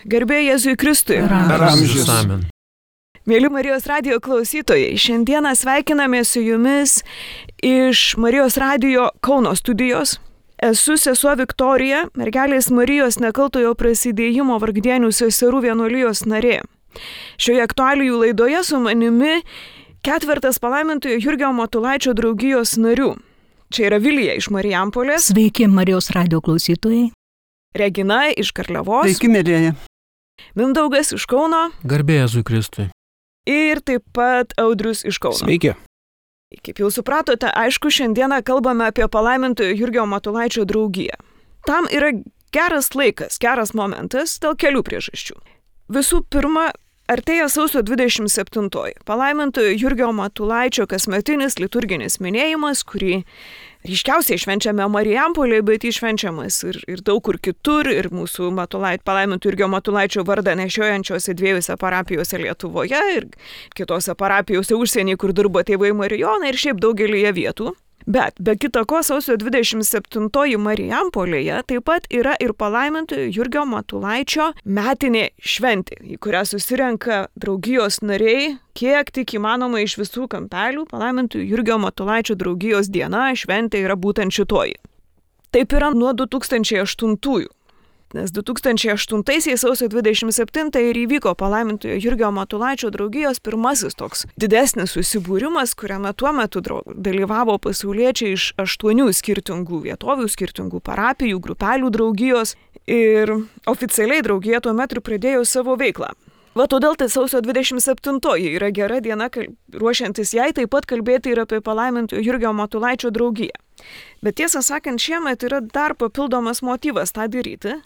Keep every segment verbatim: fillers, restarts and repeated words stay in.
Garbė Jėzui Kristui. Per amžius. Amen. Mėly Marijos radijo klausytojai, šiandieną sveikiname su jumis iš Marijos radijo Kauno studijos. Esu sesuo Viktorija, mergelės Marijos nekaltojo prasidėjimo Vargdienių seserų vienuolijos narė. Šioje aktualijų laidoje su manimi ketvertas palaimintojo Jurgio Matulaičio draugijos narių. Čia yra Vilija iš Marijampolės. Sveiki, Marijos radijo klausytojai. Regina iš Karliavos. Sveiki, mėlyje. Mindaugas iš Kauno. Garbė Jėzui Kristui. Ir taip pat Audrius iš Kauno. Sveiki. Kaip jau supratote, aišku, šiandieną kalbame apie palaimintojo Jurgio Matulaičio draugiją. Tam yra geras laikas, geras momentas dėl kelių priežasčių. Visų pirma, artėja sausio dvidešimt septintoji. Palaimintojo Jurgio Matulaičio kasmetinis liturginis minėjimas, kurį ryškiausiai švenčiame Marijampolėje, bet jis švenčiamas ir, ir daug kur kitur, ir mūsų Matulait, palaimintojo Jurgio Matulaičio vardą nešiojančiose dviejose parapijose Lietuvoje ir kitose parapijose užsienyje, kur dirbo tėvai Marijonai ir šiaip daugelyje vietų. Bet be kita ko, sausio dvidešimt septintoji Marijampolėje taip pat yra ir palaimintojo Jurgio Matulaičio metinė šventė, į kurią susirenka draugijos nariai, kiek tik įmanoma iš visų kampelių. Palaimintojo Jurgio Matulaičio draugijos diena, šventė yra būtent šitoji. Taip yra nuo du tūkstančiai aštuntųjų. Nes du tūkstančiai aštuntaisiais sausio dvidešimt septintąją ir įvyko palaimintojo Jurgio Matulaičio draugijos pirmasis toks didesnis susibūrimas, kuriame tuo metu dalyvavo pasauliečiai iš aštuonių skirtingų vietovių, skirtingų parapijų, grupelių draugijos ir oficialiai draugija tuo metu pradėjo savo veiklą. Va todėl tai sausio dvidešimt septintoji yra gera diena, ruošiantis jai taip pat kalbėti ir apie palaimintojo Jurgio Matulaičio draugiją. Bet tiesą sakant, šiemet yra dar papildomas motyvas tą daryti.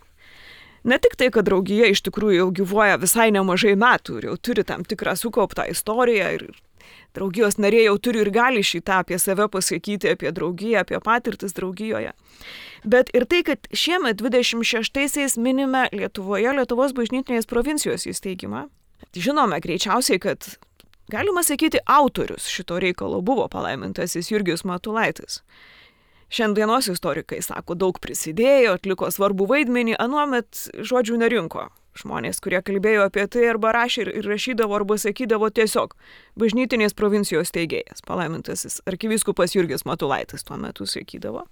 Ne tik tai, kad draugija iš tikrųjų jau gyvuoja visai nemažai metų ir jau turi tam tikrą sukauptą istoriją ir draugijos nariai jau turi ir gali šitą apie save pasakyti, apie draugiją, apie patirtis draugijoje. Bet ir tai, kad šiemet dvidešimt šeštaisiais minime Lietuvoje Lietuvos bažnytinės provincijos įsteigimą. Žinome greičiausiai, kad galima sakyti, autorius šito reikalo buvo palaimintasis Jurgis Matulaitis. Šiandienos istorikai sako, daug prisidėjo, atliko svarbų vaidmenį, anuomet žodžių nerinko. Žmonės, kurie kalbėjo apie tai arba rašė ir rašydavo arba sakydavo tiesiog bažnytinės provincijos steigėjas, palaimintasis arkivyskupas Jurgis Matulaitis tuo metu sakydavo.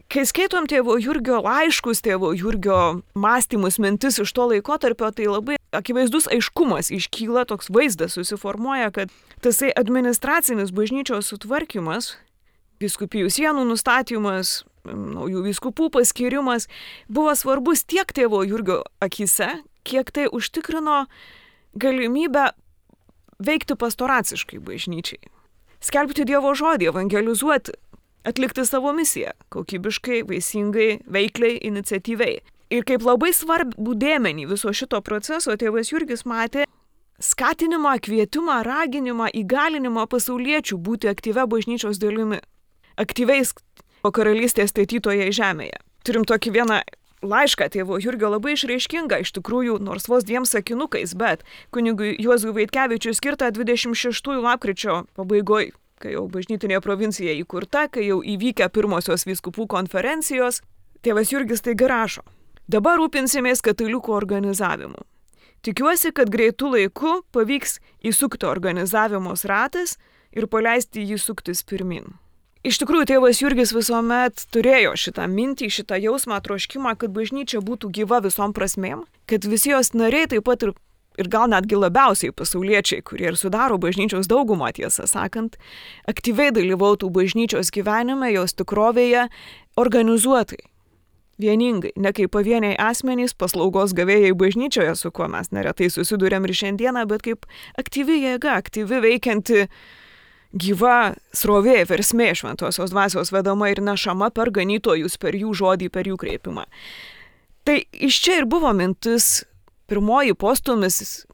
Kai skaitom tėvo Jurgio laiškus, tėvo Jurgio mąstymus, mintis iš to laikotarpio, tai labai akivaizdus aiškumas iškyla, toks vaizdas susiformuoja, kad tasai administracinis bažnyčios sutvarkymas, vyskupijų sienų nustatymas, naujų vyskupų paskirimas buvo svarbus tiek tėvo Jurgio akyse, kiek tai užtikrino galimybę veikti pastoraciškai bažnyčiai. Skelbti Dievo žodį, evangelizuoti, atlikti savo misiją, kokybiškai, vaisingai, veikliai, iniciatyviai. Ir kaip labai svarbų dėmenį viso šito proceso tėvas Jurgis matė skatinimą, kvietimą, raginimą, įgalinimą pasauliečių būti aktyvia bažnyčios dalimi. Aktyviais karalystės statytoje žemėje. Turim tokį vieną laišką tėvo Jurgio labai išraiškingą, iš tikrųjų, nors vos dviem sakinukais, bet kunigui Juozui Vaitkevičiui skirtą dvidešimt šeštųjų lapkričio pabaigoj, kai jau bažnytinė provincija įkurta, kai jau įvykę pirmosios vyskupų konferencijos, tėvas Jurgis taigi rašo: dabar rūpinsimės katalikų organizavimu. Tikiuosi, kad greitų laiku pavyks įsukti organizavimos ratas ir paleisti jį suktis pirmin. Iš tikrųjų, tėvas Jurgis visuomet turėjo šitą mintį, šitą jausmą, troškimą, kad bažnyčia būtų gyva visom prasmėm, kad visi jos nariai taip pat ir, ir gal netgi labiausiai pasauliečiai, kurie ir sudaro bažnyčios daugumą, tiesą sakant, aktyviai dalyvautų bažnyčios gyvenime, jos tikrovėje, organizuotai, vieningai, ne kaip pavieniai asmenys, paslaugos gavėjai bažnyčioje, su kuo mes neretai susidurėm ir šiandieną, bet kaip aktyvi jėga, aktyvi veikianti gyva srovė, versmė šventosios dvasios vedama ir nešama per ganytojus, per jų žodį, per jų kreipimą. Tai iš čia ir buvo mintis, pirmoji postūmis,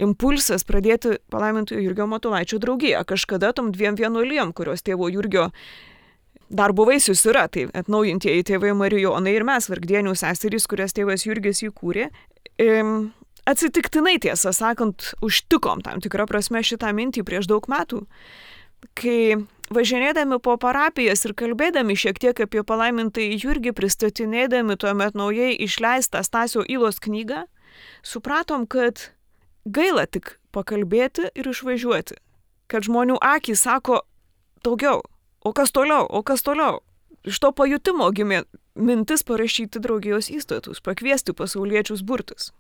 impulsas pradėti palaimintojo Jurgio Matulaičio draugiją. Kažkada tom dviem vienuolijom, kurios tėvo Jurgio darbo vaisius yra, tai atnaujintieji tėvai Marijonai ir mes, Vargdienių seserys, kurias tėvas Jurgis įkūrė. Atsitiktinai, tiesą sakant, užtikom tam tikrą prasme šitą mintį prieš daug metų, kai važinėdami po parapijas ir kalbėdami šiek tiek apie palaimintąjį Jurgį, pristatinėdami tuomet naujai išleistą Stasio Ylos knygą, supratom, kad gaila tik pakalbėti ir išvažiuoti. Kad žmonių akys sako daugiau, o kas toliau, o kas toliau. Iš to pajutimo gimė mintis parašyti draugijos įstatus, pakviesti pasauliečius burtis.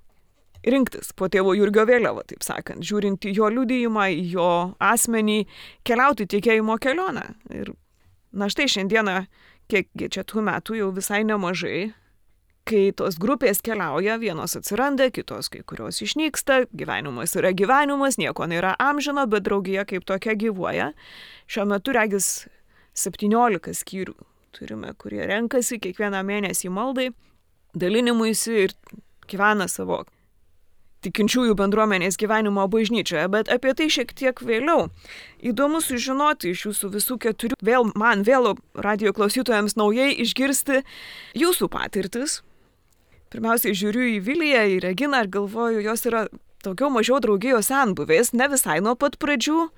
Rinktis po tėvo Jurgio vėliavą, taip sakant, žiūrint į jo liudijimą, į jo asmenį, keliauti tikėjimo kelionę. Ir na štai šiandieną, kiek čia tų metų jau visai nemažai, kai tos grupės keliauja, vienos atsiranda, kitos kai kurios išnyksta, gyvenimas yra gyvenimas, nieko nėra amžino, bet draugija kaip tokia gyvuoja. Šiuo metu regis septyniolika skyrių turime, kurie renkasi kiekvieną mėnesį maldai, dalinimuisi ir gyvena savo tikinčiųjų bendruomenės gyvenimo bažnyčioje, bet apie tai šiek tiek vėliau. Įdomu sužinoti iš jūsų visų keturių, vėl man, vėl radijo klausytojams naujai išgirsti jūsų patirtis. Pirmiausiai žiūriu į Viliją, į Reginą ir galvoju, jos yra daugiau mažiau draugijos senbuvės, ne visai nuo pat pradžių,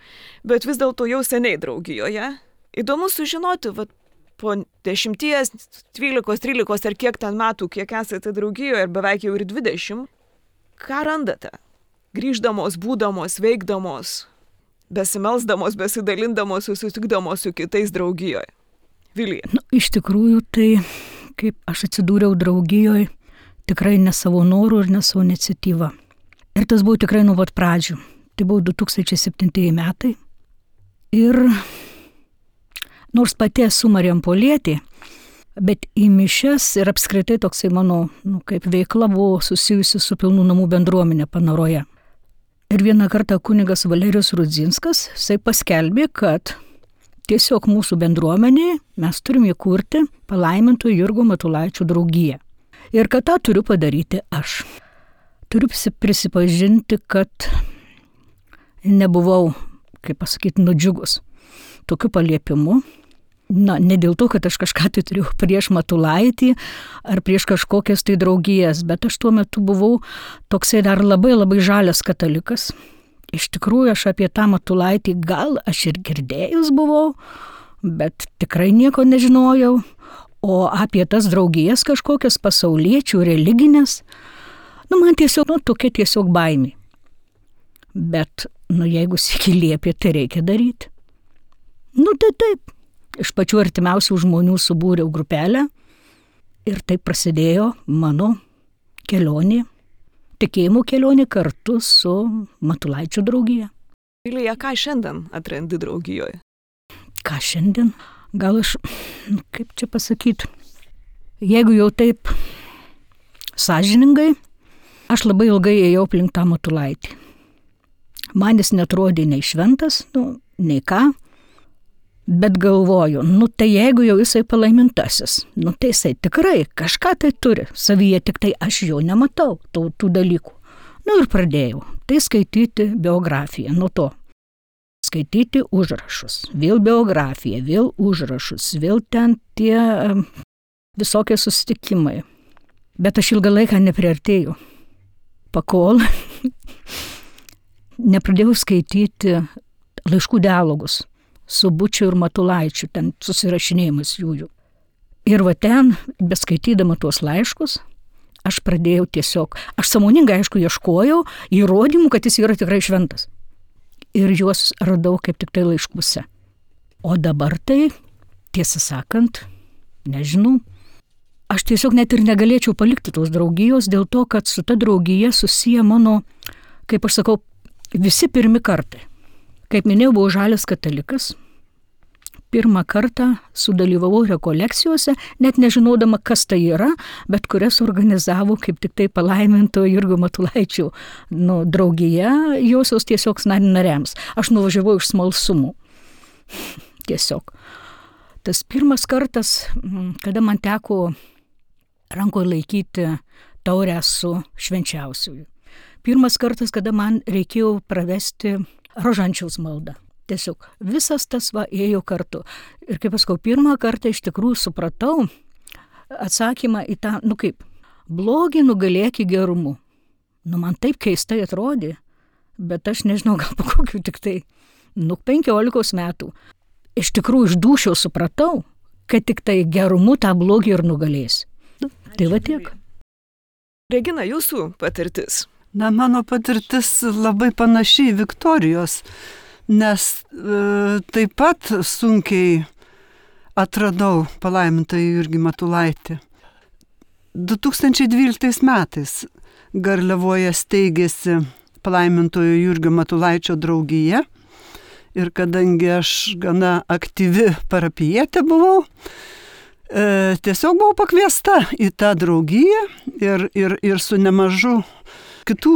bet vis dėlto jau seniai draugijoje. Įdomu sužinoti, vat, po dešimties, dvylikos, trylikos ar kiek ten metų, kiek esate draugijoje ir beveik jau ir dvidešimt, ką randate? Grįždamos, būdamos, veikdamos, besimelsdamos, besidalindamos, susitikdamos su kitais draugijoje. Vilija. Nu, iš tikrųjų, tai kaip aš atsidūriau draugijoje, tikrai ne savo norų ir ne savo iniciatyvą. Ir tas buvo tikrai nuo pat pradžių. Tai buvo du tūkstančiai septintieji metai. Ir nors pati esu Marijampolietė, bet į mišias ir apskritai toksai mano, nu, kaip veikla buvo susijusi su Pilnų namų bendruomenė Panaroje. Ir vieną kartą kunigas Valerijus Rudzinskas, jisai paskelbė, kad tiesiog mūsų bendruomenėje mes turim įkurti palaiminto Jurgio Matulaičio draugiją. Ir kad tą turiu padaryti aš. Turiu prisipažinti, kad nebuvau, kaip pasakyti, nudžiugus tokiu paliepimu. Na, ne dėl to, kad aš kažką tai turėjau prieš Matulaitį ar prieš kažkokias tai draugijas, bet aš tuo metu buvau toksai dar labai labai žalias katalikas. Iš tikrųjų, aš apie tą Matulaitį gal aš ir girdėjus buvau, bet tikrai nieko nežinojau. O apie tas draugijas kažkokias pasauliečių, religinės, nu, man tiesiog, nu, tokia tiesiog baimė. Bet, nu, jeigu sykį liepė, tai reikia daryti. Nu, tai taip. Iš pačių artimiausių žmonių subūriau grupelę ir taip prasidėjo mano kelionė, tikėjimo kelionė kartu su Matulaičio draugija. Vilija, ką šiandien atrandi draugijoje? Ką šiandien? Gal aš, kaip čia pasakyti, jeigu jau taip sąžiningai, aš labai ilgai ėjau aplink tą Matulaitį. Man jis netrodė nei šventas, nu, nei ką. Bet galvoju, nu tai jeigu jau jisai palaimintasis, nu tai jisai tikrai kažką tai turi savyje, tik tai aš jo nematau, tų, tų dalykų. Nu ir pradėjau tai skaityti biografiją, nuo to. Skaityti užrašus, vėl biografiją, vėl užrašus, vėl ten tie visokie susitikimai. Bet aš ilgą laiką nepriartėjau. Pakol nepradėjau skaityti laiškų dialogus su Bučiu ir Matulaičiu, ten susirašinėjimas jųjų. Ir va ten, beskaitydama tuos laiškus, aš pradėjau tiesiog, aš sąmoningai, aišku, ieškojau įrodymų, kad jis yra tikrai šventas. Ir juos radau kaip tik tai laiškuose. O dabar tai, tiesą sakant, nežinau, aš tiesiog net ir negalėčiau palikti tos draugijos, dėl to, kad su ta draugija susiję mano, kaip aš sakau, visi pirmi kartai. Kaip minėjau, buvau žalias katalikas. Pirmą kartą sudalyvavau rekolekcijose, net nežinodama, kas tai yra, bet kurias organizavo kaip tik tai palaiminto Jurgio Matulaičio nu, draugija, josios tiesiog nariams. Aš nuvažiavau iš smalsumų. Tiesiog. Tas pirmas kartas, kada man teko rankoje laikyti taurę su švenčiausiuoju. Pirmas kartas, kada man reikėjo pravesti rožančiaus maldą. Tiesiog visas tas va ėjo kartu. Ir kaip pasakau, pirmą kartą iš tikrųjų supratau atsakymą į tą, nu kaip, blogį nugalėki gerumu. Nu man taip keistai atrodė, bet aš nežinau, gal po kokių tik tai, nu penkiolikos metų. Iš tikrųjų iš dūšio supratau, kad tik tai gerumu tą blogį ir nugalės. Tai va tiek. Regina, jūsų patirtis? Na, mano patirtis labai panašiai Viktorijos, nes e, taip pat sunkiai atradau palaimintąjį Jurgį Matulaitį. du tūkstančiai dvyliktais metais Garliavoje steigėsi palaimintojo Jurgio Matulaičio draugija ir kadangi aš gana aktyvi parapijietė buvau, e, tiesiog buvau pakviesta į tą draugiją ir, ir, ir su nemažu kitų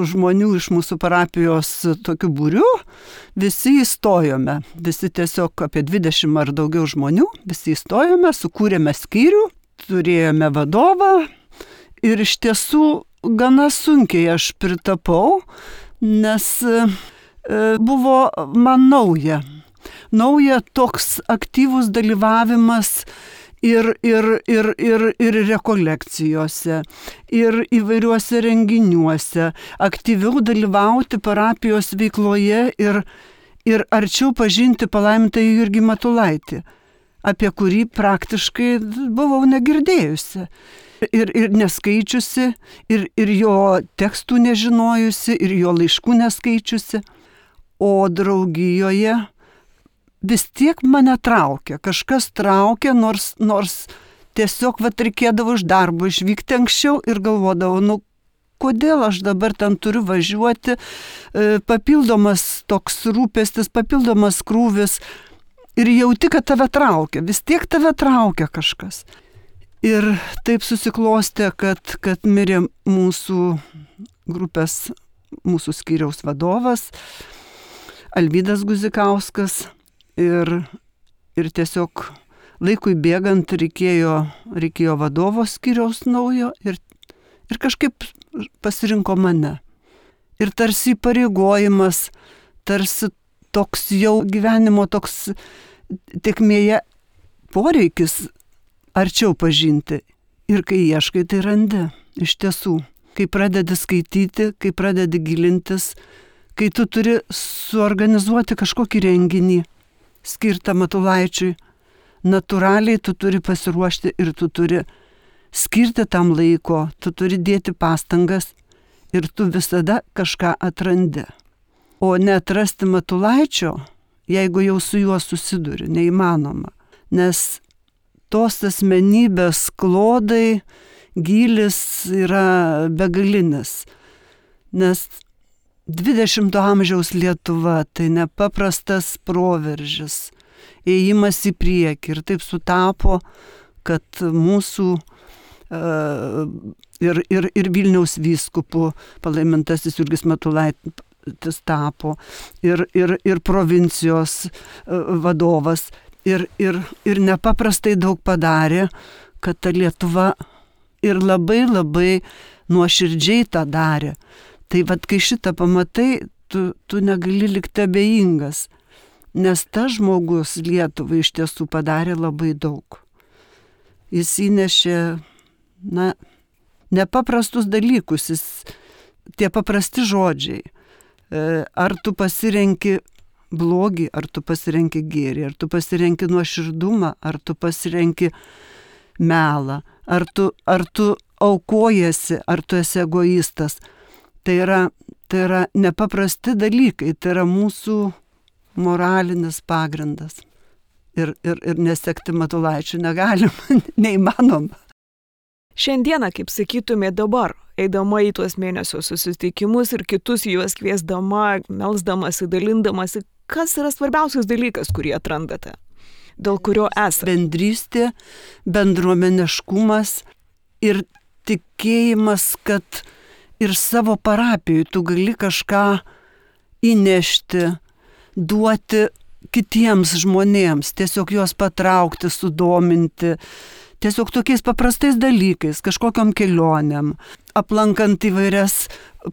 žmonių iš mūsų parapijos tokiu būriu, visi įstojome, visi tiesiog apie dvidešimt ar daugiau žmonių, visi įstojome, sukūrėme skyrių, turėjome vadovą ir iš tiesų gana sunkiai aš pritapau, nes e, buvo man nauja, nauja toks aktyvus dalyvavimas Ir, ir, ir, ir, ir rekolekcijose, ir įvairiuose renginiuose, aktyviau dalyvauti parapijos veikloje ir, ir arčiau pažinti palaimintąjį Jurgį Matulaitį, apie kurį praktiškai buvau negirdėjusi. Ir, ir neskaičiusi, ir, ir jo tekstų nežinojusi, ir jo laiškų neskaičiusi. O draugijoje vis tiek mane traukia, kažkas traukia, nors, nors tiesiog vat reikėdavo iš darbo išvykti anksčiau ir galvodavau, nu kodėl aš dabar ten turiu važiuoti, papildomas toks rūpestis, papildomas krūvis ir jauti, kad tave traukia, vis tiek tave traukia kažkas. Ir taip susiklostė, kad, kad mirė mūsų grupės, mūsų skyriaus vadovas, Alvydas Guzikauskas. Ir, ir tiesiog laikui bėgant reikėjo, reikėjo vadovo skyriaus naujo ir, ir kažkaip pasirinko mane. Ir tarsi įpareigojimas, tarsi toks jau gyvenimo toks tėkmėje poreikis arčiau pažinti. Ir kai ieškai, tai randi. Iš tiesų, kai pradedi skaityti, kai pradedi gilintis, kai tu turi suorganizuoti kažkokį renginį skirtą Matulaičiui, natūraliai tu turi pasiruošti ir tu turi skirti tam laiko, tu turi dėti pastangas ir tu visada kažką atrandi. O neatrasti Matulaičio, jeigu jau su juo susiduri, neįmanoma, nes tos asmenybės klodai, gylis yra begalinis, nes dvidešimto amžiaus Lietuva tai nepaprastas proveržis, ėjimas į priekį ir taip sutapo, kad mūsų uh, ir, ir, ir Vilniaus vyskupų palaimintasis Jurgis Matulaitis tapo ir, ir, ir provincijos uh, vadovas ir, ir, ir nepaprastai daug padarė, kad ta Lietuva ir labai labai nuoširdžiai tą darė. Tai vad, kai šitą pamatai, tu, tu negali likti abejingas, nes tas žmogus Lietuvai iš tiesų padarė labai daug. Jis įnešė, na, nepaprastus dalykus, jis, tie paprasti žodžiai. Ar tu pasirenki blogį, ar tu pasirenki gėrį, ar tu pasirenki nuoširdumą, ar tu pasirenki melą, ar tu, ar tu aukojasi, ar tu esi egoistas. Tai yra, tai yra nepaprasti dalykai, tai yra mūsų moralinis pagrindas. Ir, ir, ir nesekti Matulaičių negalima, neįmanoma. Šiandieną, kaip sakytumė dabar, eidama į tuos mėnesio susitikimus ir kitus juos kviesdama, melsdamasi, dalindamasi, kas yra svarbiausias dalykas, kurį atrandate, dėl kurio esate? Bendrystė, bendruomeniškumas ir tikėjimas, kad ir savo parapijai tu gali kažką įnešti, duoti kitiems žmonėms, tiesiog juos patraukti, sudominti, tiesiog tokiais paprastais dalykais, kažkokiom kelionėm, aplankant įvairias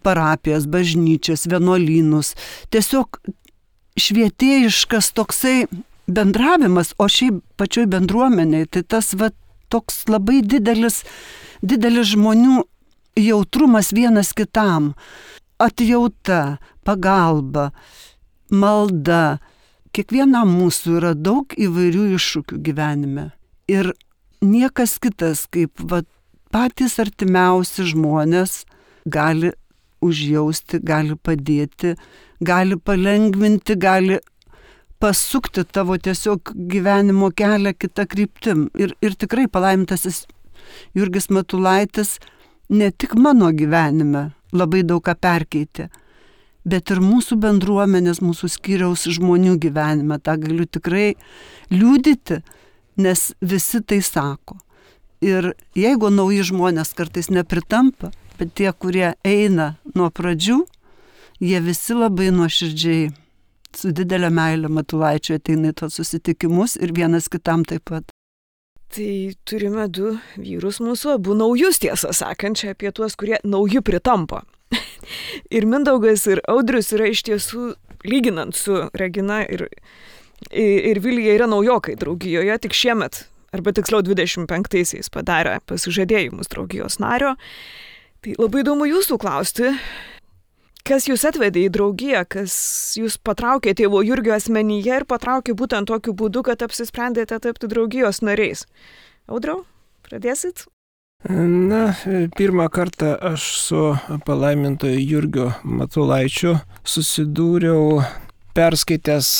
parapijas, bažnyčias, vienuolynus. Tiesiog švietėjiškas toksai bendravimas, o šiaip pačioj bendruomeniai, tai tas va, toks labai didelis, didelis žmonių jautrumas vienas kitam, atjauta, pagalba, malda. Kiekvienam mūsų yra daug įvairių iššūkių gyvenime. Ir niekas kitas, kaip va, patys artimiausi žmonės gali užjausti, gali padėti, gali palengvinti, gali pasukti tavo tiesiog gyvenimo kelią kitą kryptim. Ir, ir tikrai palaimintasis Jurgis Matulaitis ne tik mano gyvenime labai daug ką perkeitė, bet ir mūsų bendruomenės, mūsų skyriaus žmonių gyvenime. Ta galiu tikrai liudyti, nes visi tai sako. Ir jeigu nauji žmonės kartais nepritampa, bet tie, kurie eina nuo pradžių, jie visi labai nuoširdžiai, su didelė meilė Matulaičiui ateina į tos susitikimus ir vienas kitam taip pat. Tai turime du vyrus mūsų, abu naujus, tiesą sakant, čia apie tuos, kurie nauji pritampa. Ir Mindaugas, ir Audrius yra iš tiesų, lyginant su Regina ir, ir Vilija, yra naujokai draugijoje, tik šiemet, arba tiksliau dvidešimt penktaisiais padarė pasižadėjimus draugijos nario. Tai labai įdomu jūsų klausti, kas jūs atvedė į draugiją, kas jūs patraukė tėvo Jurgio asmenyje ir patraukė būtent tokiu būdu, kad apsisprendėte tapti draugijos nariais. Audriau, pradėsit? Na, pirmą kartą aš su palaimintoju Jurgiu Matulaičiu susidūriau perskaitęs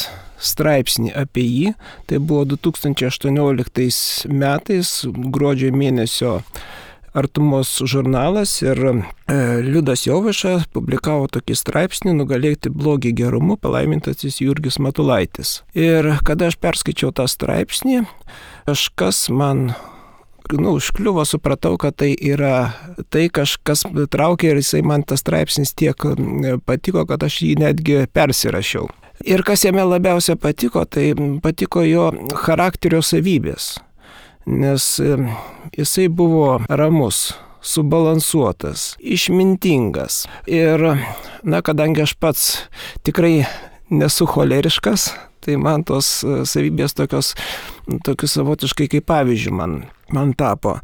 straipsnį apie jį. Tai buvo du tūkstančiai aštuonioliktais metais, gruodžio mėnesio Artumos žurnalas, ir e, Liudas Jovaiša publikavo tokį straipsnį Nugalėti blogį gerumu, palaimintasis Jurgis Matulaitis. Ir kada aš perskaičiau tą straipsnį, kažkas man nu, užkliuvo, supratau, kad tai yra tai kažkas traukė ir jisai man tas straipsnis tiek patiko, kad aš jį netgi persirašiau. Ir kas jame labiausia patiko, tai patiko jo charakterio savybės. Nes jisai buvo ramus, subalansuotas, išmintingas. Ir, na, kadangi aš pats tikrai nesu choleriškas, tai man tos savybės tokios, tokius savotiškai kaip pavyzdžių man, man tapo.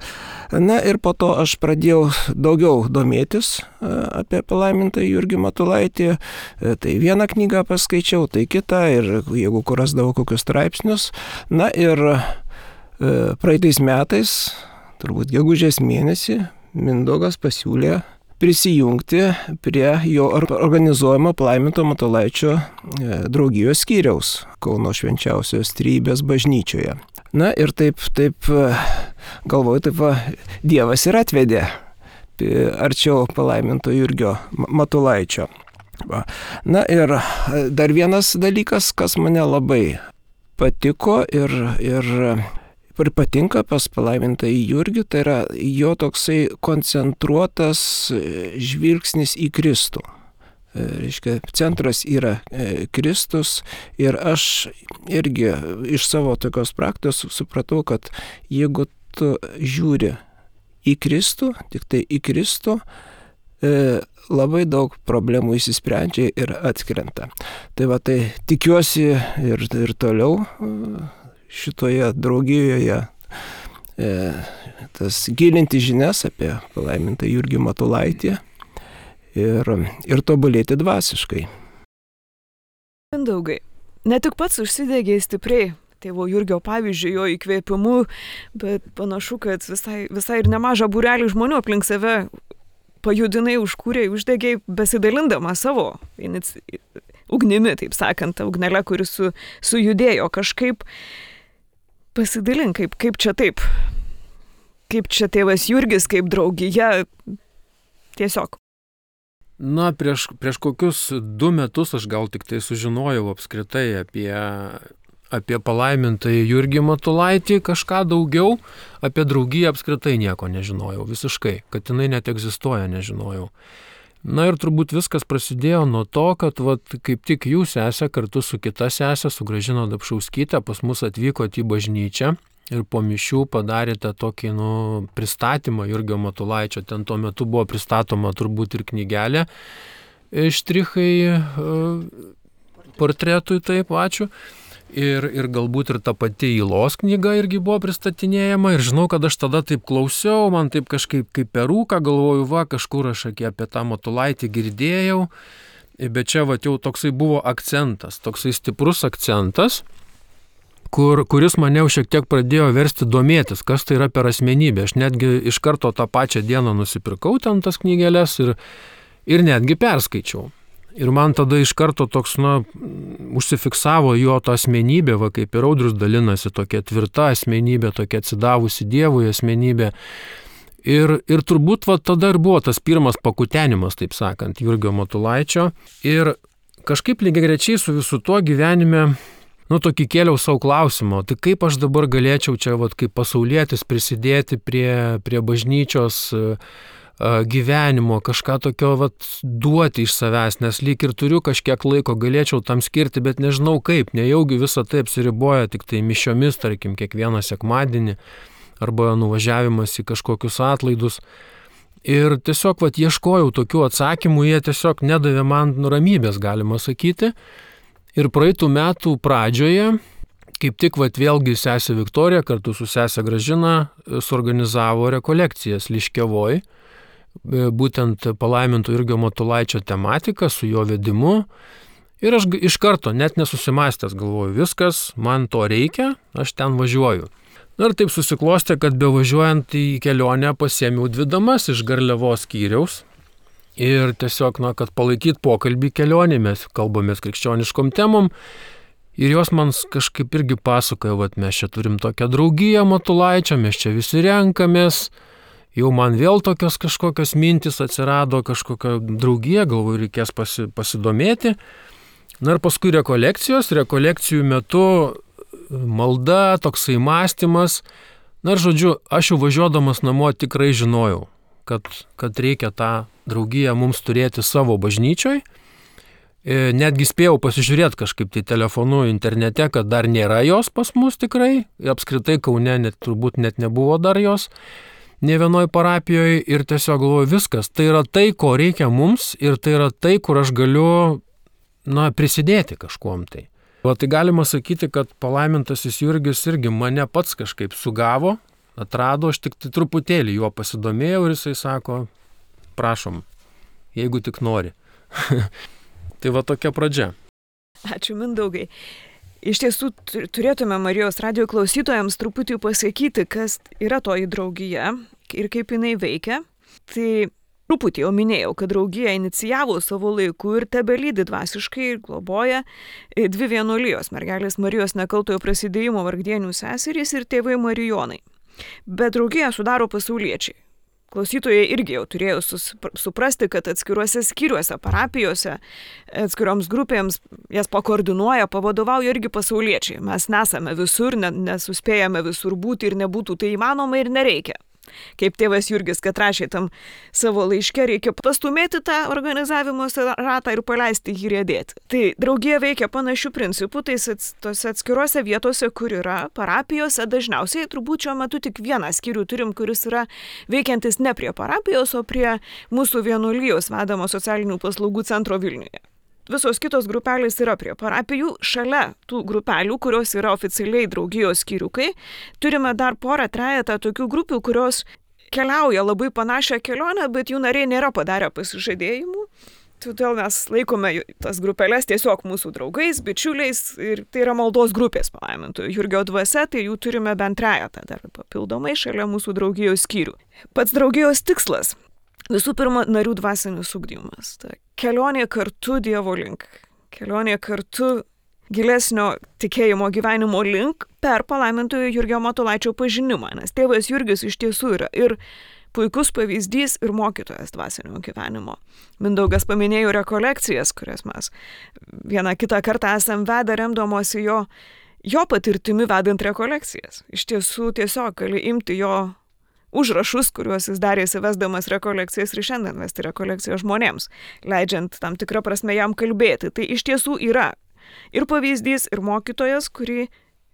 Na ir po to aš pradėjau daugiau domėtis apie palaimintąjį Jurgį Matulaitį. Tai vieną knygą paskaičiau, tai kitą, ir jeigu kur rasdavau kokius straipsnius. Na ir praeitais metais, turbūt gegužės mėnesį, Mindaugas pasiūlė prisijungti prie jo organizuojamo palaiminto Matulaičio draugijos skyriaus Kauno Švenčiausios Trejybės bažnyčioje. Na ir taip, taip galvoju, taip va, Dievas ir atvedė arčiau palaiminto Jurgio Matulaičio. Va. Na ir dar vienas dalykas, kas mane labai patiko ir, ir ir patinka pas palaimintąjį Jurgį, tai yra jo toksai koncentruotas žvilgsnis į Kristų. Reiškia, centras yra Kristus, ir aš irgi iš savo tokios praktikos supratau, kad jeigu tu žiūri į Kristų, tik tai į Kristų, labai daug problemų įsisprendžia ir atkrenta. Tai va, tai tikiuosi ir, ir toliau šitoje draugijoje e, tas gilinti žinias apie palaimintą Jurgį Matulaitį ir, ir tobulėti dvasiškai. Mindaugai, ne tik pats užsidegė stipriai tėvo Jurgio pavyzdžių, jo įkvėpimu, bet panašu, kad visai, visai ir nemažą būrelį žmonių aplink save pajudinai, užkūrė, uždegė, besidalindama savo inici... ugnimi, taip sakant, ugnelę, kuris su, sujudėjo kažkaip. Pasidalink, kaip, kaip čia taip, kaip čia tėvas Jurgis, kaip draugija, tiesiog. Na, prieš, prieš kokius du metus aš gal tik tai sužinojau apskritai apie, apie palaimintąjį Jurgį Matulaitį, kažką daugiau, apie draugiją apskritai nieko nežinojau, visiškai, kad jinai net egzistuoja, nežinojau. Na ir turbūt viskas prasidėjo nuo to, kad vat, kaip tik jūs sesė kartu su kita sesė, su Gražina Dapšauskytė, pas mus atvykote į bažnyčią ir po mišių padarėte tokį nu, pristatymą Jurgio Matulaičio. Ten tuo metu buvo pristatoma turbūt ir knygelė, štrichai portretui, taip, ačiū. Ir, ir galbūt ir ta pati Ilos knyga irgi buvo pristatinėjama. Ir žinau, kad aš tada taip klausiau, man taip kažkaip kaip perūka, galvoju, va, kažkur aš apie tą Matulaitį girdėjau. Bet čia va jau toksai buvo akcentas, toksai stiprus akcentas, kur, kuris mane jau šiek tiek pradėjo versti domėtis, kas tai yra per asmenybė. Aš netgi iš karto tą pačią dieną nusipirkau ten tas knygeles ir, ir netgi perskaičiau. Ir man tada iš karto toks, na, užsifiksavo jo ta asmenybė, va kaip ir Audrius dalinasi, tokia tvirta asmenybė, tokia atsidavusi Dievui asmenybė. Ir, ir turbūt va tada ir buvo tas pirmas pakutenimas, taip sakant, Jurgio Matulaičio. Ir kažkaip lygiagrečiai su visu tuo gyvenime, nu, tokį kėliau savo klausimą, tai kaip aš dabar galėčiau čia, va, kaip pasaulietis prisidėti prie, prie bažnyčios gyvenimo, kažką tokio vat, duoti iš savęs, nes lyg ir turiu kažkiek laiko, galėčiau tam skirti, bet nežinau kaip, nejaugi visą tai apsiriboja tik tai mišiomis, tarkim, kiekvieną sekmadienį, arba nuvažiavimas į kažkokius atlaidus. Ir tiesiog vat, ieškojau tokių atsakymų, jie tiesiog nedavė man ramybės, galima sakyti. Ir praeitų metų pradžioje, kaip tik vat, vėlgi sesė Viktorija kartu su sesė Gražina suorganizavo rekolekcijas Liškiavoj, būtent palaiminto Jurgio Matulaičio tematika su jo vedimu. Ir aš iš karto, net nesusimastęs, galvoju, viskas, man to reikia, aš ten važiuoju. Na ir taip susiklostė, kad bevažiuojant į kelionę pasiėmiau dvi damas iš Garliavos skyriaus. Ir tiesiog, na, kad palaikyt pokalbį kelionį, mes kalbamės krikščioniškom temom. Ir jos man kažkaip irgi pasakojo, kad mes čia turim tokią draugiją Matulaičio, mes čia visi renkamės. Jau man vėl tokios kažkokios mintis atsirado, kažkokia draugija, galvoju, reikės pasi, pasidomėti. Na ir paskui rekolekcijos, rekolekcijų metu malda, toksai mąstymas. Na ir žodžiu, aš jau važiuodamas namo tikrai žinojau, kad, kad reikia tą draugiją mums turėti savo bažnyčioj. Netgi spėjau pasižiūrėti kažkaip tai telefonu internete, kad dar nėra jos pas mus tikrai. Apskritai Kaune net, turbūt net nebuvo dar jos. Ne vienoj parapijoje ir tiesiog galvoju, viskas, tai yra tai, ko reikia mums ir tai yra tai, kur aš galiu, na, prisidėti kažkuom tai. O tai galima sakyti, kad palaimintasis Jurgis irgi mane pats kažkaip sugavo, atrado, aš tik tai truputėlį juo pasidomėjau ir jisai sako, prašom, jeigu tik nori. Tai va tokia pradžia. Ačiū, Mindaugai. Iš tiesų turėtume Marijos radijo klausytojams truputį pasakyti, kas yra toji draugija ir kaip jinai veikia. Tai truputį jau minėjau, kad draugija inicijavo savo laiku ir tebelydi dvasiškai ir globoja dvi vienuolijos mergelės Marijos Nekaltojo Prasidėjimo Vargdienių seserys ir tėvai Marijonai. Bet draugiją sudaro pasauliečiai. Klausytojai irgi jau turėjo suprasti, kad atskiruose skyriuose, parapijose, atskiroms grupėms jas pakoordinuoja, pavadovauja irgi pasauliečiai. Mes nesame visur, nesuspėjame visur būti ir nebūtų tai įmanoma ir nereikia. Kaip tėvas Jurgis, kad rašė tam savo laiške, reikia pastumėti tą organizavimo ratą ir paleisti jį riedėti. Tai draugija veikia panašių principų, tai tose atskiruose vietose, kur yra parapijose, dažniausiai turbūt šiuo metu tik vieną skyrių turim, kuris yra veikiantis ne prie parapijos, o prie mūsų vienuolijos vedamo socialinių paslaugų centro Vilniuje. Visos kitos grupelės yra prie parapijų. Šalia tų grupelių, kurios yra oficialiai draugijos skyriukai, turime dar porą trejetą tokių grupių, kurios keliauja labai panašią kelionę, bet jų nariai nėra padarę pasižadėjimų. Todėl mes laikome tas grupelės tiesiog mūsų draugais, bičiuliais ir tai yra maldos grupės palaimintojo Jurgio dvasia, tai jų turime bent trejetą dar papildomai šalia mūsų draugijos skyrių. Pats draugijos tikslas. Visų pirma, narių dvasinis ugdymas. Ta kelionė kartu Dievo link. Kelionė kartu gilesnio tikėjimo gyvenimo link per palaimintojo Jurgio Matulaičio pažinimą. Nes tėvas Jurgis iš tiesų yra ir puikus pavyzdys ir mokytojas dvasinio gyvenimo. Mindaugas paminėjo rekolekcijas, kurias mes vieną kitą kartą esam vedę remdamosi jo, jo patirtimi vedant rekolekcijas. Iš tiesų tiesiog gali imti jo užrašus, kuriuos jis darė įsivesdamas rekolekcijas ir šiandien vesti rekolekcijas žmonėms, leidžiant tam tikrą prasme jam kalbėti. Tai iš tiesų yra ir pavyzdys, ir mokytojas, kurį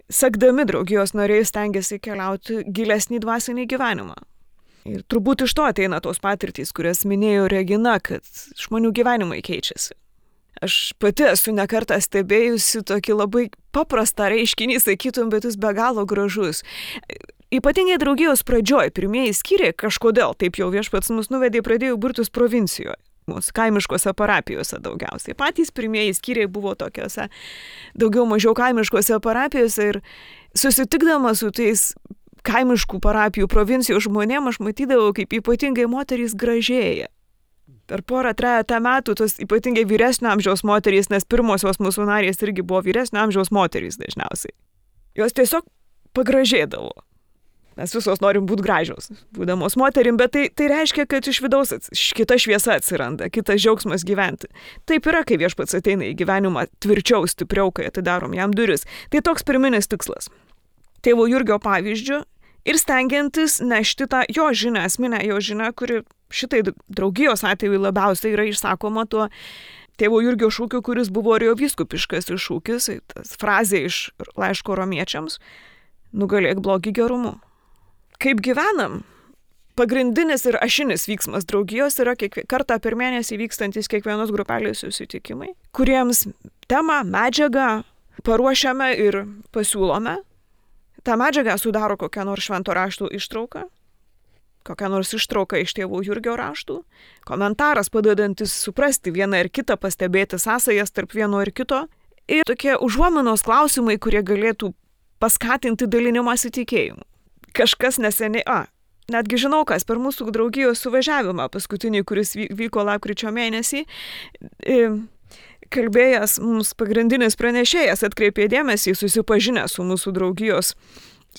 sekdami draugijos nariai stengiasi keliauti gilesnį dvasinį gyvenimą. Ir turbūt iš to ateina tos patirtys, kurias minėjo Regina, kad žmonių gyvenimai keičiasi. Aš pati esu nekartą stebėjusi tokį labai paprastą reiškinį, sakytum, bet jis be galo gražus. Ypatingai draugijos pradžioj, pirmieji skyriai kažkodėl, taip jau viešpats mus nuvedė, pradėjo burtis provincijoje. susitikimus, kaimiškose parapijose daugiausiai. Patys pirmieji skyriai buvo tokiuose daugiau mažiau kaimiškose parapijose ir susitikdama su tais kaimiškų parapijų provincijos žmonėm, aš matydavau, kaip ypatingai moterys gražėja. Per porą trejatą metų tos ypatingai vyresnio amžiaus moterys, nes pirmosios mūsų narės irgi buvo vyresnio amžiaus moterys dažniausiai. Jos tiesiog pagražėdavo. Mes visos norim būti gražios, būdamos moterim, bet tai, tai reiškia, kad iš vidaus kita šviesa atsiranda, kitas džiaugsmas gyventi. Taip yra, kai viešpats ateina į gyvenimą tvirčiau, stipriau, kai atidarom jam duris. Tai toks pirminis tikslas. Tėvo Jurgio pavyzdžių ir stengiantis nešti tą jo žinią, esminę jo žinią, kuri šitai draugijos atveju labiausiai yra išsakoma tuo tėvo Jurgio šūkiu, kuris buvo arjovyskupiškas šūkis, tas frazė iš laiško romiečiams - nugalėk blogį gerumu. Kaip gyvenam? Pagrindinis ir ašinis vyksmas draugijos yra kiekvie, kartą per mėnesį vykstantis kiekvienos grupelės susitikimai, kuriems temą, medžiagą paruošiame ir pasiūlome. Ta medžiaga sudaro kokią nors švento rašto ištrauką, kokią nors ištrauką iš tėvo Jurgio raštų, komentaras padedantis suprasti vieną ir kitą, pastebėti sąsajas tarp vieno ir kito, ir tokie užuominos klausimai, kurie galėtų paskatinti dalinimąsi tikėjimu. Kažkas neseniai, a, netgi žinau, kas per mūsų draugijos suvažiavimą, paskutinį, kuris vyko lapkričio mėnesį, kalbėjęs mums pagrindinis pranešėjas atkreipė dėmesį, susipažinę su mūsų draugijos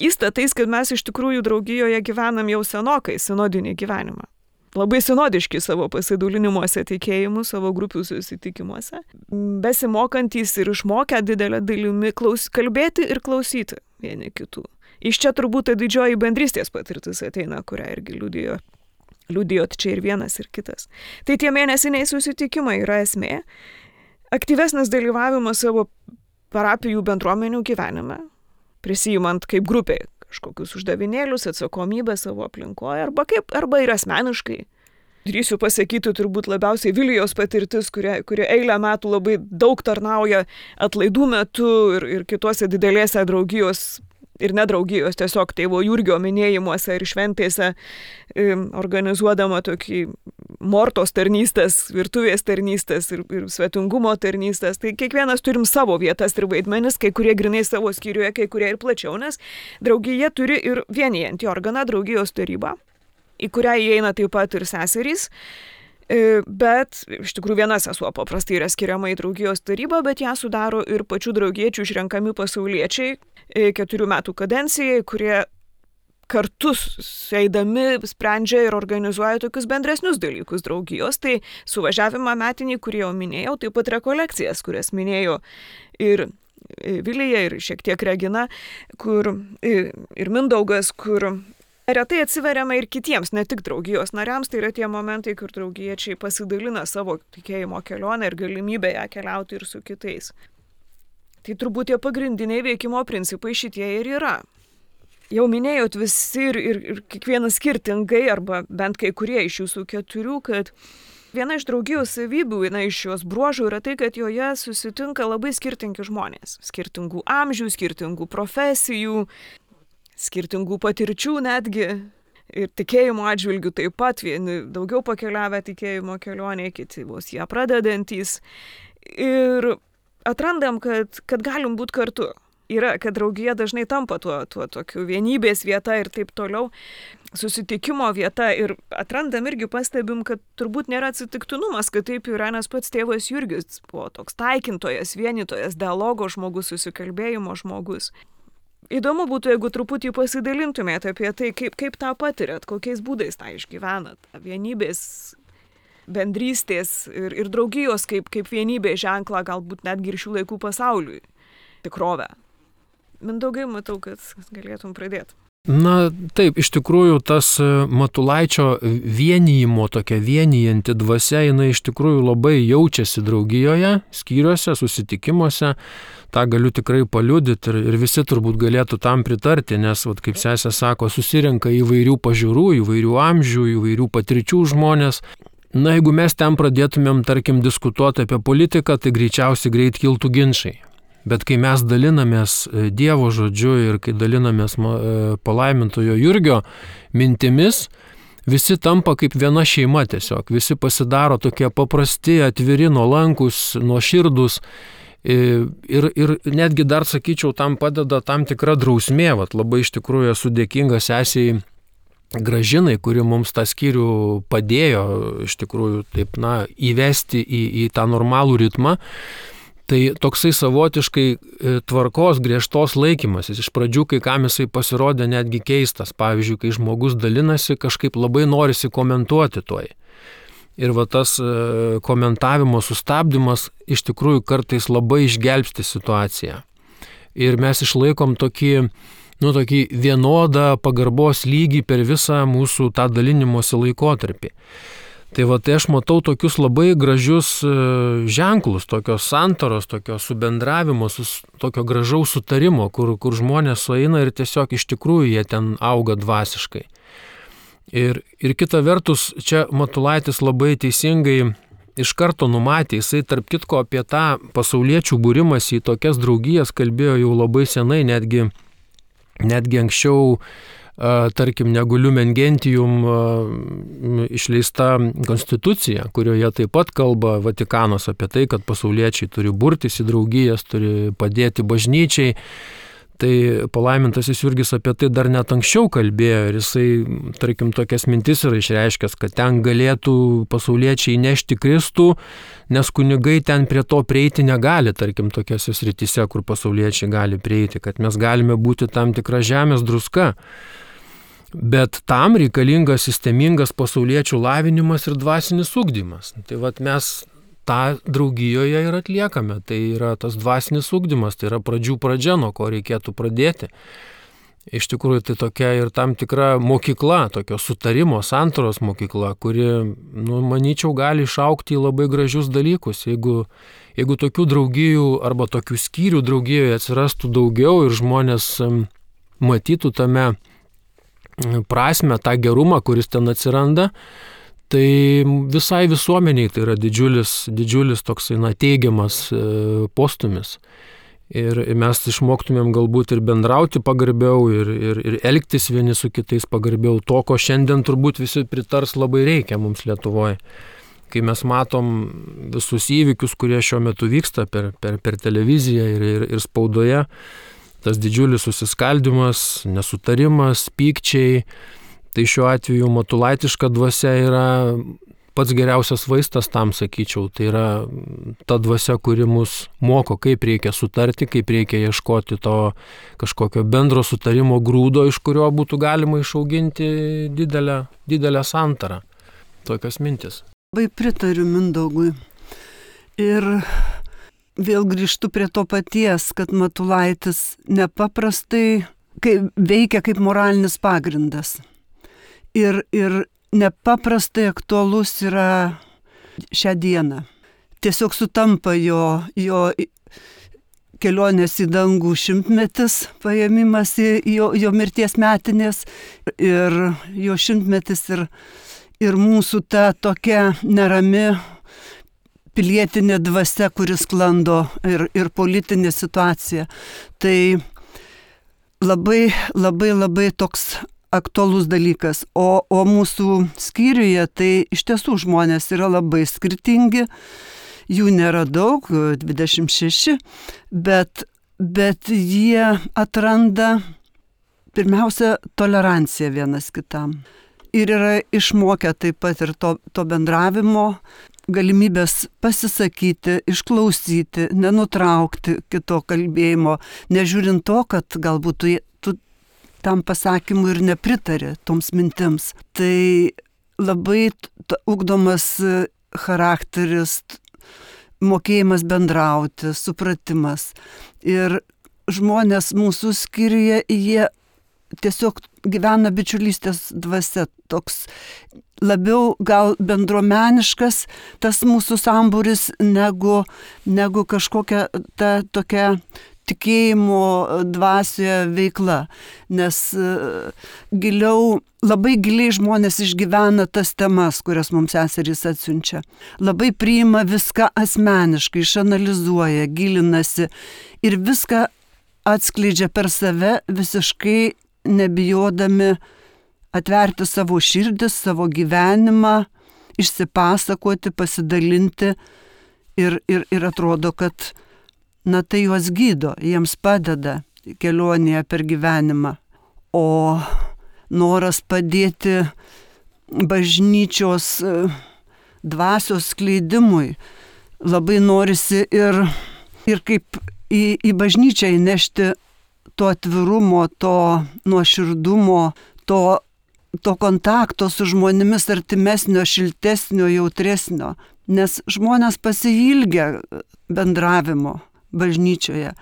įstatais, kad mes iš tikrųjų draugijoje gyvenam jau senokai sinodinį gyvenimą. Labai sinodiški savo pasidalinimuose tikėjimu, savo grupių susitikimuose, besimokantys ir išmokę didelę dalimi klaus, kalbėti ir klausyti vieni kitų. Iš čia turbūt ta didžioji bendrystės patirtis ateina, kurią irgi liudijo, liudijot čia ir vienas ir kitas. Tai tie mėnesiniai susitikimai yra esmė. Aktyvesnis dalyvavimas savo parapijų bendruomenių gyvenime, prisijimant kaip grupiai kažkokius uždavinėlius, atsakomybę savo aplinkoje, arba, kaip, arba ir asmeniškai. Drįsiu pasakyti turbūt labiausiai Vilijos patirtis, kurie, kurie eilę metų labai daug tarnauja atlaidų metu ir, ir kitose didelėse draugijos ir nedraugijos, tiesiog tėvo Jurgio minėjimuose ir šventėse, organizuodama tokį mortos tarnystės, virtuvės tarnystės ir, ir svetingumo tarnystės. Tai kiekvienas turim savo vietas ir vaidmenis, kai kurie grinai savo skyriuje, kai kurie ir plačiau, nes draugija turi ir vienijantį organą, draugijos tarybą, į kurią įeina taip pat ir seserys. Bet iš tikrųjų viena sesuo paprastai yra skiriama į draugijos tarybą, bet ją sudaro ir pačių draugiečių išrenkami pasauliečiai keturių metų kadencijai, kurie kartu eidami sprendžia ir organizuoja tokius bendresnius dalykus draugijos. Tai suvažiavimą metinį, kurį jau minėjau, taip pat rekolekcijas, kurias minėjo ir Vilija, ir šiek tiek Regina, kur ir Mindaugas, kur retai atsiveriama ir kitiems, ne tik draugijos nariams, tai yra tie momentai, kur draugiečiai pasidalina savo tikėjimo kelionę ir galimybę ją keliauti ir su kitais. Tai turbūt tie pagrindiniai veikimo principai šitie ir yra. Jau minėjot visi ir, ir, ir kiekvienas skirtingai, arba bent kai kurie iš jūsų keturių, kad viena iš draugijos savybių, viena iš jos bruožų yra tai, kad joje susitinka labai skirtingi žmonės. Skirtingų amžių, skirtingų profesijų, skirtingų patirčių netgi ir tikėjimo atžvilgių taip pat, vieni daugiau pakeliavę tikėjimo kelionėje, kiti vos ją pradedantys. Ir atrandam, kad, kad galim būti kartu. Yra, kad draugija dažnai tampa tuo, tuo tokiu vienybės vieta ir taip toliau, susitikimo vieta. Ir atrandam irgi pastebim, kad turbūt nėra atsitiktinumas, kad taip yra, nes pats tėvas Jurgis buvo toks taikintojas, vienytojas, dialogo žmogus, susikalbėjimo žmogus. Įdomu būtų, jeigu truputį pasidalintumėte apie tai, kaip, kaip tą patirėt, kokiais būdais tą išgyvenat. Vienybės, bendrystės ir, ir draugijos kaip, kaip vienybės ženklą, galbūt netgi ir šių laikų pasauliui tikrovę. Mindaugai, matau, kad galėtum pradėti. Na taip, iš tikrųjų tas Matulaičio vienijimo, tokia vienijanti dvasia, jinai iš tikrųjų labai jaučiasi draugijoje, skyriuose, susitikimuose. Ta galiu tikrai paliudyti ir, ir visi turbūt galėtų tam pritarti, nes, vat, kaip sesė sako, susirenka įvairių pažiūrų, įvairių amžių, įvairių patirčių žmonės. Na, jeigu mes ten pradėtumėm, tarkim, diskutuoti apie politiką, tai greičiausiai greit kiltų ginčai. Bet kai mes dalinamės Dievo žodžiu ir kai dalinamės palaimintojo Jurgio mintimis, visi tampa kaip viena šeima tiesiog, visi pasidaro tokie paprasti, atviri, nuolankus, nuoširdus. Ir, ir netgi dar, sakyčiau, tam padeda tam tikra drausmė. Vat labai iš tikrųjų esu dėkingas sesiai Gražinai, kuri mums tą skyrių padėjo iš tikrųjų taip, na, įvesti į, į tą normalų ritmą. Tai toksai savotiškai tvarkos griežtos laikymasis. Iš pradžių kai kam jisai pasirodė netgi keistas. Pavyzdžiui, kai žmogus dalinasi, kažkaip labai norisi komentuoti toj. Ir va tas komentavimo sustabdymas iš tikrųjų kartais labai išgelbsti situaciją. Ir mes išlaikom tokį, nu, tokį vienodą pagarbos lygį per visą mūsų tą dalinimosi laikotarpį. Tai va, tai aš matau tokius labai gražius ženklus, tokios santaros, tokio subendravimo, tokio gražaus sutarimo, kur, kur žmonės sueina ir tiesiog iš tikrųjų jie ten auga dvasiškai. Ir, ir kita vertus, čia Matulaitis labai teisingai iš karto numatė, jisai tarp kitko apie tą pasauliečių būrimąsi į tokias draugijas kalbėjo jau labai senai, netgi, netgi anksčiau, tarkim, negu Lumen Gentium išleista konstitucija, kurioje taip pat kalba Vatikanas apie tai, kad pasauliečiai turi burtis į draugijas, turi padėti bažnyčiai. Tai palaimintasis Jurgis apie tai dar net anksčiau kalbėjo ir jisai, tarkim, tokias mintis yra išreiškęs, kad ten galėtų pasauliečiai nešti Kristų, nes kunigai ten prie to prieiti negali, tarkim, tokiose srityse, kur pasauliečiai gali prieiti, kad mes galime būti tam tikra žemės druska. Bet tam reikalingas sistemingas pasauliečių lavinimas ir dvasinis ugdymas. Tai vat mes tą draugijoje ir atliekame. Tai yra tas dvasinis ugdymas, tai yra pradžių pradžia, nuo ko reikėtų pradėti. Iš tikrųjų, tai tokia ir tam tikra mokykla, tokio sutarimo, santaros mokykla, kuri, nu, manyčiau, gali išaukti į labai gražius dalykus. Jeigu, jeigu tokių draugijų arba tokių skyrių draugijoje atsirastų daugiau ir žmonės matytų tame prasme, tą gerumą, kuris ten atsiranda, tai visai visuomeniai tai yra didžiulis, didžiulis toksai, na, teigiamas postumis. Ir mes išmoktumėm galbūt ir bendrauti pagarbiau, ir, ir, ir elgtis vieni su kitais pagarbiau, to, ko šiandien turbūt visi pritars labai reikia mums Lietuvoje. Kai mes matom visus įvykius, kurie šiuo metu vyksta per, per, per televiziją ir, ir, ir spaudoje, tas didžiulis susiskaldimas, nesutarimas, pykčiai, tai šiuo atveju matulaitiška dvasia yra pats geriausias vaistas tam, sakyčiau. Tai yra ta dvasia, kuri mus moko, kaip reikia sutarti, kaip reikia ieškoti to kažkokio bendro sutarimo grūdo, iš kurio būtų galima išauginti didelę, didelę santarą. Tokios mintis. Labai pritariu Mindaugui. Ir vėl grįžtu prie to paties, kad Matulaitis nepaprastai kaip, veikia kaip moralinis pagrindas. Ir, ir nepaprastai aktualus yra šią dieną. Tiesiog sutampa jo, jo kelionės į dangų šimtmetis, paėmimas į jo, jo mirties metinės ir jo šimtmetis ir, ir mūsų ta tokia nerami pilietinė dvasia, kuris sklando ir, ir politinė situacija. Tai labai, labai, labai toks aktualus dalykas. O, o mūsų skyriuje tai iš tiesų žmonės yra labai skirtingi, jų nėra daug, dvidešimt šeši, bet, bet jie atranda pirmiausia toleranciją vienas kitam. Ir yra išmokę taip pat ir to, to bendravimo, galimybės pasisakyti, išklausyti, nenutraukti kito kalbėjimo, nežiūrint to, kad galbūt tu, tu tam pasakymui ir nepritari toms mintims. Tai labai ugdomas charakteris, mokėjimas bendrauti, supratimas. Ir žmonės mūsų skyriuje, jie tiesiog gyvena bičiulystės dvasia, toks labiau gal bendruomeniškas tas mūsų sambūris negu, negu kažkokia ta tokia tikėjimo dvasioje veikla. Nes giliau, labai giliai žmonės išgyvena tas temas, kurias mums seserys atsiunčia. Labai priima viską asmeniškai, išanalizuoja, gilinasi ir viską atskleidžia per save visiškai nebijodami atverti savo širdis, savo gyvenimą, išsipasakoti, pasidalinti ir, ir, ir atrodo, kad na, tai juos gydo, jiems padeda kelionėje per gyvenimą. O noras padėti bažnyčios dvasios skleidimui labai norisi ir, ir kaip į, į bažnyčią įnešti to atvirumo, to nuoširdumo, to, to kontakto su žmonėmis artimesnio, šiltesnio, jautresnio, nes žmonės pasiilgia bendravimo bažnyčioje.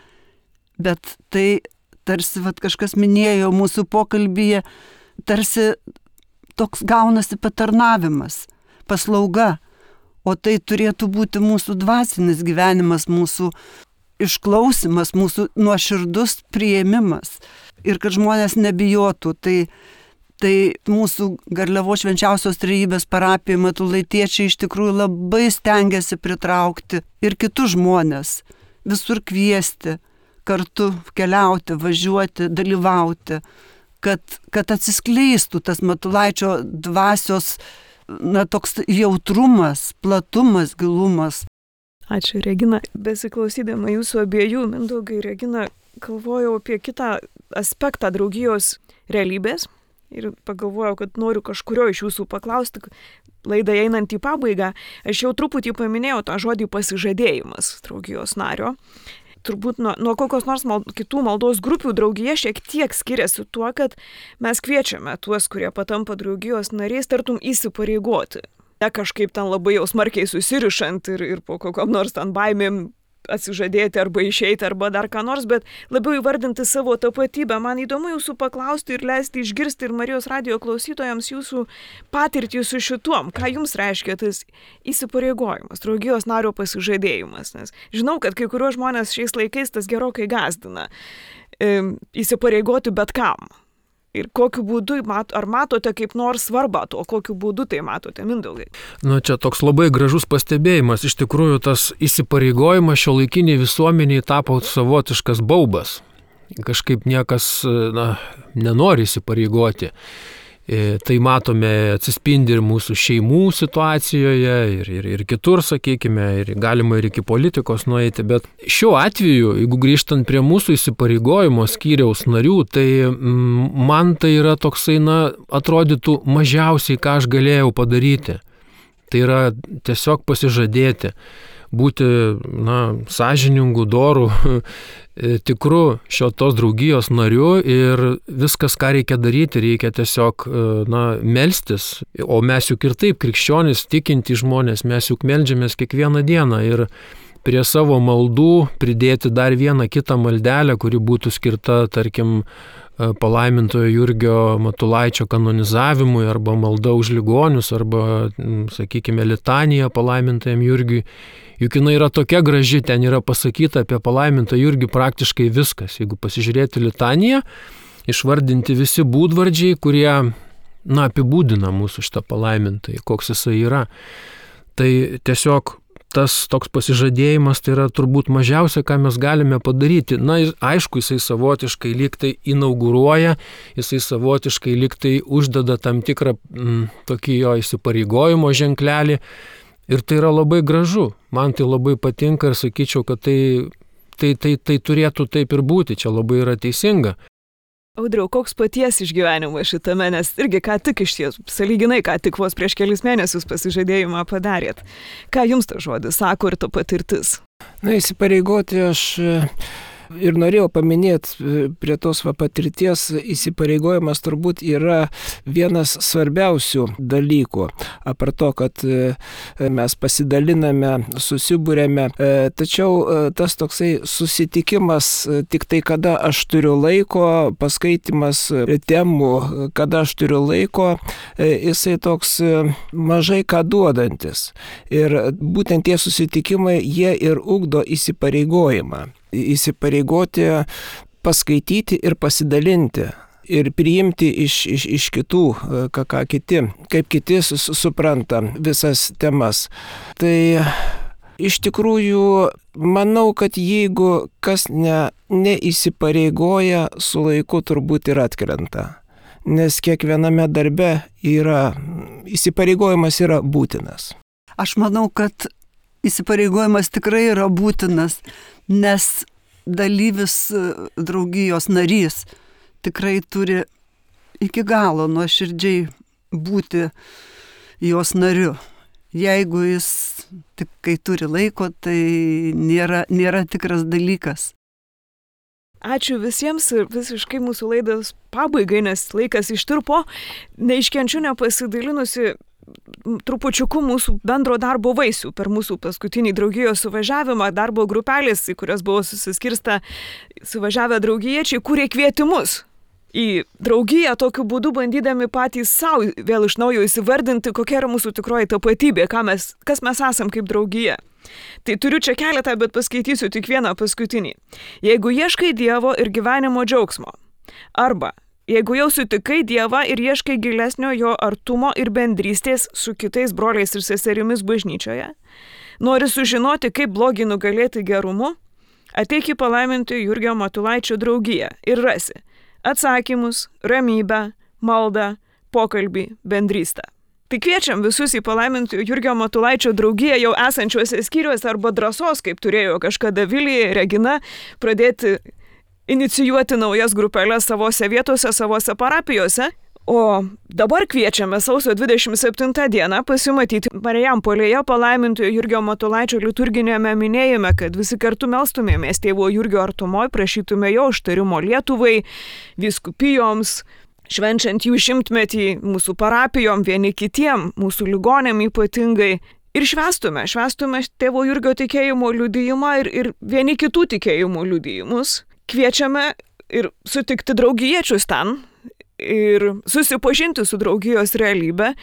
Bet tai tarsi, vat, kažkas minėjo mūsų pokalbyje, tarsi toks gaunasi patarnavimas, paslauga, o tai turėtų būti mūsų dvasinis gyvenimas, mūsų išklausimas, mūsų nuoširdus priėmimas ir kad žmonės nebijotų. Tai, tai mūsų Garliavos švenčiausios trejybės parapijai matulaitiečiai iš tikrųjų labai stengiasi pritraukti ir kitus žmonės, visur kviesti, kartu keliauti, važiuoti, dalyvauti, kad, kad atsiskleistų tas Matulaičio dvasios na, toks jautrumas, platumas, gilumas. Ačiū, Regina. Besiklausydama jūsų abiejų, Mindaugai ir Regina, galvojau apie kitą aspektą draugijos realybės ir pagalvojau, kad noriu kažkurio iš jūsų paklausti, laidai einant į pabaigą. Aš jau truputį paminėjau tą žodį pasižadėjimas draugijos nario. Turbūt nuo, nuo kokios nors mal, kitų maldos grupių draugija šiek tiek skiriasi tuo, kad mes kviečiame tuos, kurie patampa draugijos nariais, tartum įsipareigoti. Ne kažkaip ten labai jau smarkiai susirišant ir, ir po kokiom nors ten baimėm atsižadėti arba išeiti arba dar ką nors, bet labiau įvardinti savo tapatybę. Man įdomu jūsų paklausti ir leisti išgirsti ir Marijos radijo klausytojams jūsų patirtį su šituom. Ką jums reiškia tas įsipareigojimas, draugijos nario pasižadėjimas? Nes žinau, kad kai kuriuos žmonės šiais laikais tas gerokai gąsdina. E, įsipareigoti bet kam. Ir kokiu būdu, ar matote kaip nors svarbą to, kokiu būdu tai matote, Mindaugai? Nu, čia toks labai gražus pastebėjimas. Iš tikrųjų, tas įsipareigojimas šiuolaikiniai visuomeniai tapo savotiškas baubas. Kažkaip niekas na, nenori įsipareigoti. E, tai matome atsispindi ir mūsų šeimų situacijoje, ir, ir, ir kitur, sakykime, ir galima ir iki politikos nueiti. Bet šiuo atveju, jeigu grįžtant prie mūsų įsipareigojimo skyriaus narių, tai mm, man tai yra toksai, na, atrodytų mažiausiai, ką aš galėjau padaryti. Tai yra tiesiog pasižadėti, būti, na, sąžiningų, dorų, tikrų šios draugijos nariu ir viskas, ką reikia daryti, reikia tiesiog, na, melstis. O mes juk ir taip, krikščionys, tikinti žmonės, mes juk meldžiamės kiekvieną dieną ir prie savo maldų pridėti dar vieną kitą maldelę, kuri būtų skirta, tarkim, palaimintojo Jurgio Matulaičio kanonizavimui, arba malda už ligonius, arba, sakykime, litanija palaimintajam Jurgiui. Juk jinai yra tokia graži, ten yra pasakyta apie palaimintą Jurgį praktiškai viskas. Jeigu pasižiūrėti litaniją, išvardinti visi būdvardžiai, kurie, na, apibūdina mūsų šitą palaimintąjį, koks jisai yra. Tai tiesiog tas toks pasižadėjimas tai yra turbūt mažiausia, ką mes galime padaryti. Na, aišku, jisai savotiškai lyg tai inauguruoja, jisai savotiškai lyg tai uždeda tam tikrą m, tokį jo įsipareigojimo ženklelį. Ir tai yra labai gražu. Man tai labai patinka ir sakyčiau, kad tai, tai, tai, tai turėtų taip ir būti. Čia labai yra teisinga. Audriau, koks paties išgyvenimas šitame, nes irgi ką tik iš ties, sąlyginai ką tik vos prieš kelis mėnesius pasižadėjimą padarėt. Ką jums tas žodis sako ir ta patirtis? Na, įsipareigoti aš ir norėjau paminėti prie tos va, patirties, įsipareigojimas turbūt yra vienas svarbiausių dalykų. Apart to, kad mes pasidaliname, susibūrėme, tačiau tas toksai susitikimas tik tai, kada aš turiu laiko, paskaitimas temų, kada aš turiu laiko, jisai toks mažai ką duodantis. Ir būtent tie susitikimai, jie ir ugdo įsipareigojimą. Įsipareigoti, paskaityti ir pasidalinti ir priimti iš, iš, iš kitų, ką, ką kiti, kaip kiti supranta visas temas. Tai iš tikrųjų manau, kad jeigu kas ne, neįsipareigoja, su laiku turbūt ir atkrenta. nes kiekviename darbe yra, įsipareigojimas yra būtinas. Aš manau, kad įsipareigojimas tikrai yra būtinas, nes dalyvis draugijos narys tikrai turi iki galo nuoširdžiai būti jos nariu. Jeigu jis tik kai turi laiko, tai nėra, nėra tikras dalykas. Ačiū visiems ir visiškai mūsų laidos pabaigai, nes laikas ištirpo. Neiškenčiu nepasidalinusi trupučiuku mūsų bendro darbo vaisių per mūsų paskutinį draugijos suvažiavimą, darbo grupelės, į kurias buvo susiskirsta suvažiavę draugiečiai, kūrė kvietimus į draugiją, tokiu būdu bandydami patys savo vėl iš naujo įsivardinti, kokia yra mūsų tikroji tapatybė, ką mes, kas mes esam kaip draugija. Tai turiu čia keletą, bet paskaitysiu tik vieną paskutinį. Jeigu ieškai Dievo ir gyvenimo džiaugsmo, arba jeigu jau sutikai Dievą ir ieškai gilesnio jo artumo ir bendrystės su kitais broliais ir seserimis bažnyčioje, nori sužinoti, kaip blogį nugalėti gerumu, ateik į palaimintojo Jurgio Matulaičio draugiją ir rasi atsakymus, ramybę, maldą, pokalbį, bendrystę. Tai kviečiam visus į palaimintojo Jurgio Matulaičio draugiją jau esančiuose skyriuose arba drąsos, kaip turėjo kažkada Vilija, Regina, pradėti inicijuoti naujas grupelės savose vietose, savose parapijose. O dabar kviečiame sausio dvidešimt septintą dieną pasimatyti Marijampolėje palaimintojo Jurgio Matulaičio liturginėme minėjime, kad visi kartu melstumėmės tėvo Jurgio artumoj, prašytume jo užtarimo Lietuvai, vyskupijoms, švenčiant jų šimtmetį mūsų parapijom, vieni kitiem, mūsų ligonėm ypatingai. Ir švęstume, švęstume tėvo Jurgio tikėjimo liudijimą ir, ir vieni kitų tikėjimo liudijimus. Kviečiame ir sutikti draugiečius ten ir susipažinti su draugijos realybė,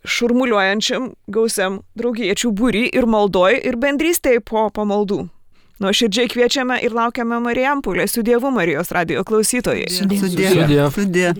šurmuliuojančiam gausiam draugiečių būry ir maldoj ir bendrystėje po pamaldų. Nuoširdžiai kviečiame ir laukiame Marijampolės. Su Dievu, Marijos radijo klausytojai. Sudie. Sudie. Sudie.